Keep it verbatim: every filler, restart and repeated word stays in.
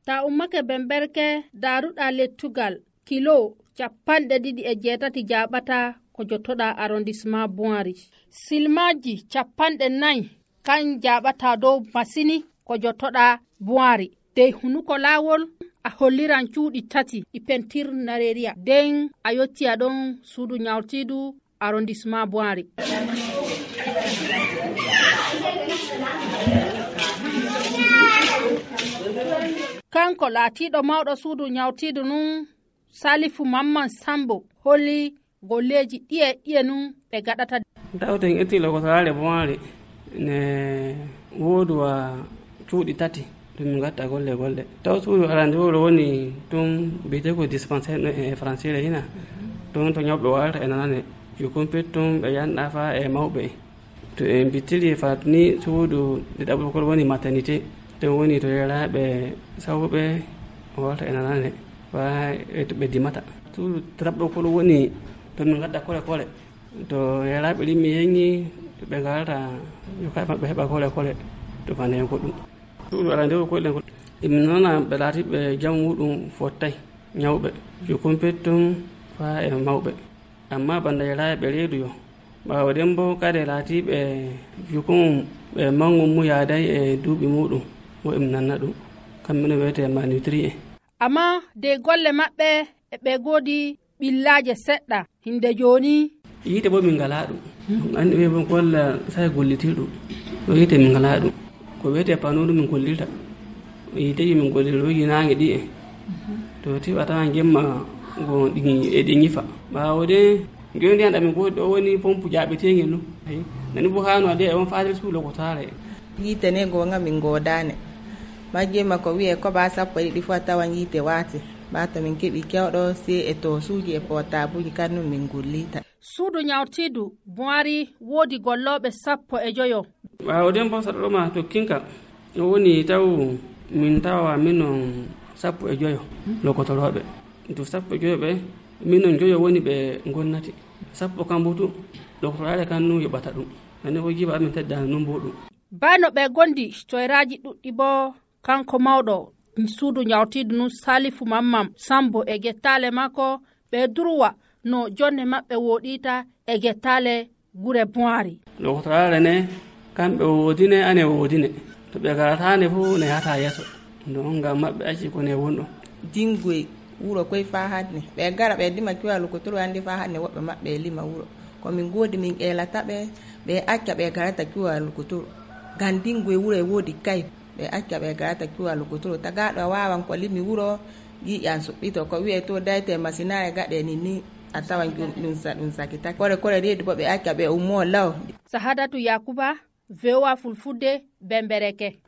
Ta ummake Bemberke, daaruɗa lettugal kilo capanɗe ɗiɗi e jeetati jaaɓata ko jottoɗa arrondissement Boiry. Silmaaji capanɗe nayi kan jaaɓata dow masini ko jottoɗa Boiry. Dey hunuko laawol a holliran cuuɗi tati ɗi pentir nareeriya. Den a yottiya ɗon suudu ñawtiidu arrondissement Boiry. Kanko laatiiɗo mawɗo suudu ñawtiidu nun, Salifu Mamman Sambo, holli golleeji ɗiye ɗiye nun ɓe gaɗata. Tawten itti lokotoraare Boiry ne wooduwa cuuɗi tati. Ɗum min gatta golle golle. Taw suudu arande wuro woni tun biyetee ko dispensaire no e français hina. Tun to ñawɓe warata e nanane. Yo kumpit tun ɓe yanɗa fa e mawɓe. To en bittiri fat ni suudu ɗiɗaɓo kol woni maternité. Tun woni to yeraaɓe sawɓe warata e nanane. Fa e to ɓe dimata. Suudu tataɓo kol woni to min gadda kole kole. To yeraaɓe ɗin mi yeñi to ɓe ngarata yo kay maɓɓe heɓa kole kole to fane ko ɗum. Suudu arande ko koyɗen ko. Emi nana ɓe laati ɓe jam muɗum fottay ñawɓe. Yo kumpit tun fa e mawɓe. Amma banda yeraaɓe ɓe reedu yo. Ɓaawo ɗen bo kade laati ɓe jukun ɓe mangun mu yaaday e duuɓi muɗum. Mo emi nanna ɗum. Kamɓe no wiyetee malnutri en. Amma dey golle maɓɓe e ɓe goodi ɓillaaje seɗɗa hinde jooni. Yiite bo min ngalaa ɗum. Anndi ɓe bon golla sai gollitirɗum. Ɗo yiite min ngalaa ɗum. Ko wiyetee panuudu min gollirta. Yiiteeji min gollirta ɗo yinaange ɗi en. To tiwa tawan jemma go ɗi e ɗi ñifa. Ɓaawo de jooni ndiyan ɗamin goodi ɗo woni pompu jaaɓeteengel ɗum. Nani bo haano ade e on faatel suulo ko taara en. Yiite ne goonga min goodaane. Majjee ma ko wi'ee koɓaa sappo e ɗiɗi fof a tawan yiite waati. Ɓaa to min keɓii kewɗo sey e toosuuji e pootaabuuji kannun min ngulliita. Suudu ñawtiidu Buhari woodi gollooɓe sappo e joyo. Ɓaawo den bo saɗɗo ma tokkinka o woni taw min tawa minon sappo e joyo lokotorooɓe. To sappo e joyo ɓe minon joyo woni ɓe gonnati. Sappo kambutu lokotoraare kan nun yoɓata ɗum. Nani ko jiba amin teddani nun bo ɗum. Baa no ɓe gondi toyraaji ɗuɗɗi boo, kanko mawɗo suudu ñawtiidu nun Salifu Mamman Sambo e gettaale makko, ɓe durwa no jonne maɓɓe wooɗiita e gettaale gure Buhari. Lokotoraare ne kamɓe woodine ane woodine to ɓe garataane fof ne yahata yeeso. Ɗon ngam maɓɓe acci ko ne wonɗo. Dingoy wuro koy faa hanne ɓe gara ɓe dima kiwa lokotoro andi faa hanne woɓɓe maɓɓe e lima wuro. Ko min goodi min ƴeelata ɓe ɓe acca ɓe garata kiwa lokotoro. Ngam dingoy wuro e woodi kay ɓe acca ɓe garata kiwa lokotoro tagaaɗo a waawan ko limi wuro. Giƴan suɓɓito ko wi'e to dayte masinaare gaɗe ninni a tawan ɗum ɗum sa ɗum sakitake kore kore reedu bo ɓe acca ɓe ummoo law. Sahadatu Yakuba, V O A Fulfulde, Bembereke.